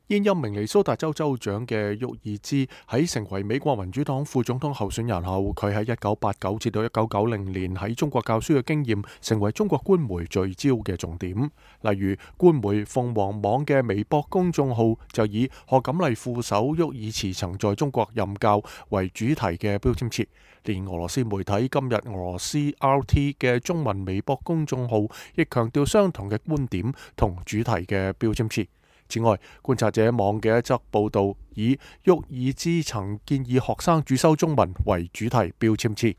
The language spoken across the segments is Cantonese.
現任明尼蘇達州州長嘅沃爾茲喺成為美國民主黨副總統候選人後，佢喺1989至到1990年喺中國教書嘅經驗，成為中國官媒聚焦嘅重點。例如，官媒鳳凰網嘅微博公眾號就以賀錦麗副手沃爾茨曾在中國任教為主題嘅標籤詞，連俄羅斯媒體今日俄羅斯 RT 嘅中文微博公眾號亦強調相同嘅觀點同主題嘅標籤詞。此外，觀察者網嘅一則報道以沃爾茲曾建議學生主修中文為主題標籤詞。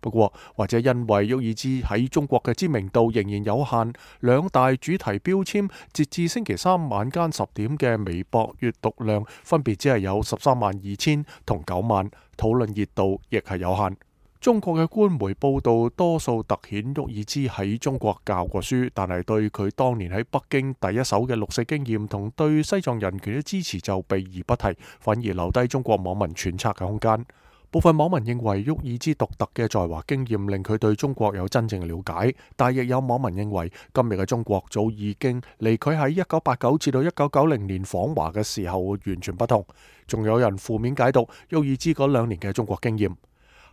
不過，或者因為沃爾茲喺中國嘅知名度仍然有限，兩大主題標籤截至星期三晚間10點嘅微博閱讀量分別只係有132000同9萬，討論熱度亦係有限。中國嘅官媒報道多數突顯沃爾茲喺中國教過書，但係對佢當年喺北京第一手嘅六四經驗同對西藏人權嘅支持就避而不提，反而留低中國網民揣測嘅空間。部分網民認為沃爾茲獨特嘅在華經驗令佢對中國有真正嘅了解，但亦有網民認為今日嘅中國早已經離佢喺1989至到1990年訪華嘅時候完全不同。仲有人負面解讀沃爾茲嗰2年嘅中國經驗。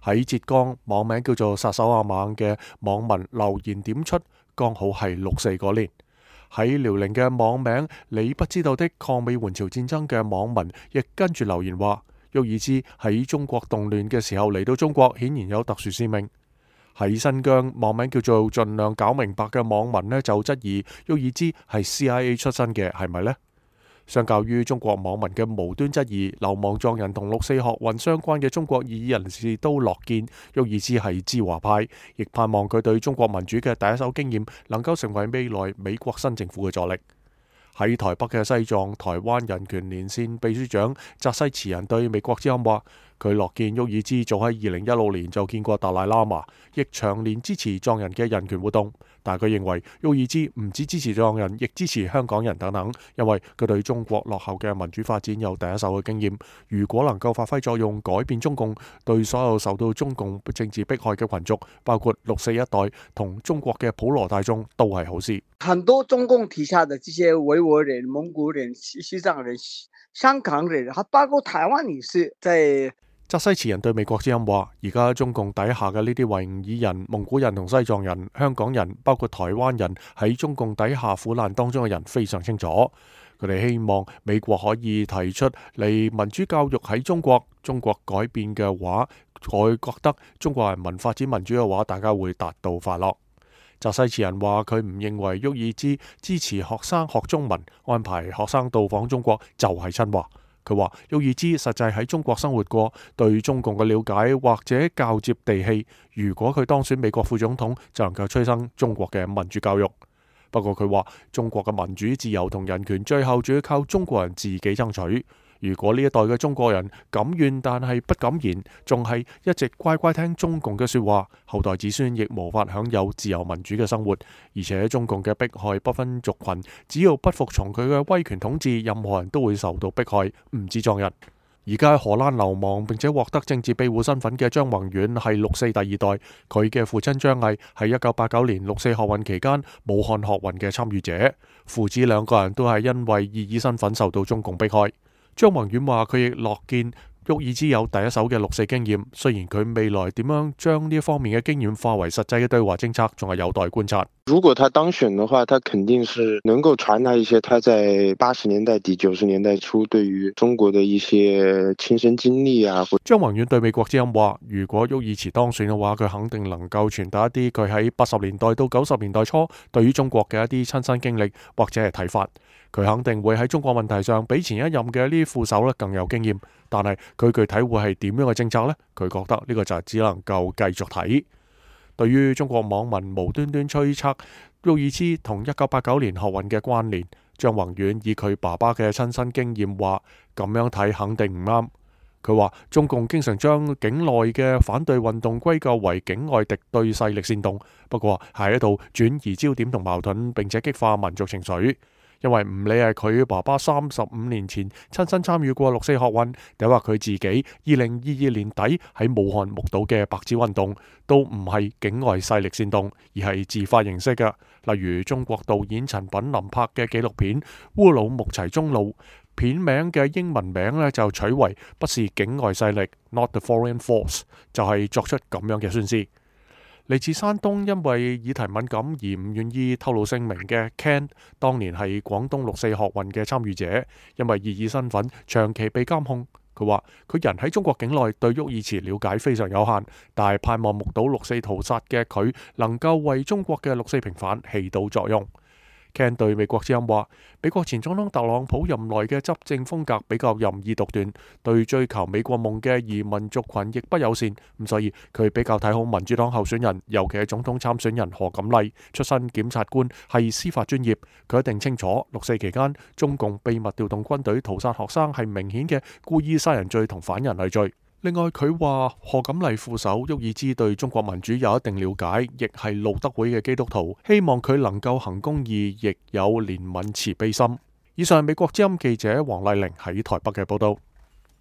喺浙江，網名叫做殺手阿猛嘅網民留言點出，剛好係6.4嗰年。喺遼寧嘅網名你不知道的抗美援朝戰爭嘅網民亦跟住留言話，沃爾茲喺中國動亂嘅時候嚟到中國，顯然有特殊使命。喺新疆，網名叫做盡量搞明白嘅網民呢就質疑沃爾茲係 CIA 出身嘅，係咪呢？相較於中國網民嘅無端質疑，流亡藏人同6.4學運相關嘅中國異議人士都樂見沃爾茲係知華派，亦盼望佢對中國民主嘅第一手經驗能夠成為未來美國新政府嘅助力。喺台北嘅西藏台灣人權連線秘書長扎西慈人對美國之音話，佢樂見沃爾茲早喺2016年就見過達賴喇嘛，亦長年支持藏人嘅人權活動。但佢認為沃爾茲唔止支持藏人，亦支持香港人等等，因為佢對中國落後嘅民主發展有第一手嘅經驗。如果能夠發揮作用，改變中共，對所有受到中共政治迫害嘅群族，包括6.4一代同中國嘅普羅大眾，都係好事。很多中共底下的這些維吾爾人、蒙古人、西藏人、香港人，還包括台灣也是在。扎西慈人對美國之音話，而家中共底下嘅呢啲維吾爾人、蒙古人同西藏人、香港人，包括台灣人喺中共底下苦難當中嘅人非常清楚。佢哋希望美國可以提出嚟民主教育喺中國改變嘅話，我覺得中國人民發展民主嘅話，大家會達到快樂。扎西慈人話，佢唔認為沃爾茲支持學生學中文，安排學生到訪中國就係親華。佢話沃爾茲實際喺中國生活過，對中共嘅了解或者較接地氣。如果佢當選美國副總統，就能夠催生中國嘅民主教育。不過佢話中國嘅民主自由同人權最後仲要靠中國人自己爭取。如果呢一代嘅中國人敢怨但係不敢言，仲係一直乖乖聽中共嘅說話，後代子孫亦無法享有自由民主嘅生活。而且中共嘅迫害不分族群，只要不服從佢嘅威權統治，任何人都會受到迫害，唔止藏人。而家喺荷蘭流亡並且獲得政治庇護身份嘅張宏遠係6.4第二代，佢嘅父親張毅係1989年6.4學運期間武漢學運嘅參與者，父子兩個人都係因為異議身份受到中共迫害。張宏遠話：佢亦樂見沃爾茲有第一手嘅6.4經驗，雖然佢未來點樣將呢一方面嘅經驗化為實際嘅對華政策，仲係有待觀察。如果他當選的話，他肯定是能夠傳達一些他在80年代底90年代初對於中國的一些親身經歷啊。張宏遠對美國之音話：如果沃爾茨當選嘅話，佢肯定能夠傳達一啲佢喺80年代到90年代初對於中國嘅一啲親身經歷或者係睇法。佢肯定會喺中國問題上比前一任嘅呢啲副手咧更有經驗，但係佢具體會係點樣嘅政策呢？佢覺得呢個就只能夠繼續睇。對於中國網民無端端推測沃爾茲同1989年學運嘅關聯，張宏遠以佢爸爸嘅親身經驗話，咁樣睇肯定唔啱。佢話中共經常將境內嘅反對運動歸咎為境外敵對勢力煽動，不過係喺度轉移焦點同矛盾，並且激化民族情緒。因為唔理係佢爸爸35年前親身參與過6.4學運，定話佢自己2022年底喺武漢目睹嘅白紙運動，都唔係境外勢力煽動，而係自發形式嘅。例如中國導演陳品林拍嘅紀錄片《烏魯木齊中路》，片名嘅英文名呢，就取為不是境外勢力 （Not the Foreign Force），就係作出咁樣嘅宣示。嚟自山東，因為議題敏感而唔願意透露姓名嘅 Ken， 當年係廣東六四學運嘅參與者，因為異議身份長期被監控。佢話：佢人喺中國境內對沃爾茨了解非常有限，但係盼望目睹六四屠殺嘅佢能夠為中國嘅六四平反起到作用。Ken 對美國之音話：美國前總統特朗普任內嘅執政風格比較任意獨斷，對追求美國夢嘅移民族群亦不友善，咁所以佢比較睇好民主黨候選人，尤其係總統參選人何錦麗，出身檢察官，係司法專業。佢一定清楚六四期間中共秘密調動軍隊屠殺學生係明顯嘅故意殺人罪同反人類罪。另外，佢話何錦麗副手沃爾茲對中國民主有一定了解，亦係路德會嘅基督徒，希望佢能夠行公義，亦有憐憫慈悲心。以上係美國之音記者黃麗玲喺台北嘅報道。